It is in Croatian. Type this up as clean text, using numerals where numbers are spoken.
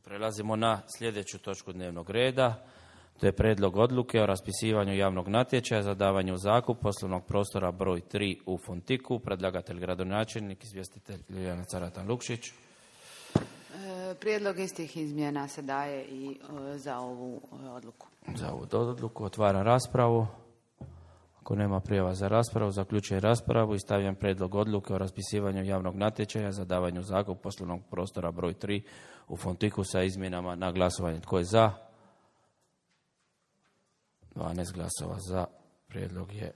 Prelazimo na sljedeću točku dnevnog reda. To je prijedlog odluke o raspisivanju javnog natječaja za davanje u zakup poslovnog prostora broj 3 u Fontiku. Predlagatelj gradonačelnik, izvjestitelj Ljiljana Caratan-Lukšić. Prijedlog istih izmjena se daje i za ovu odluku. Za ovu odluku otvaram raspravu. Ako nema prijava za raspravu, zaključujem raspravu i stavljam prijedlog odluke o raspisivanju javnog natječaja za davanje u zakup poslovnog prostora broj 3 u Fontiku sa izmjenama na glasovanje. Tko je za? 12 glasova za. Prijedlog je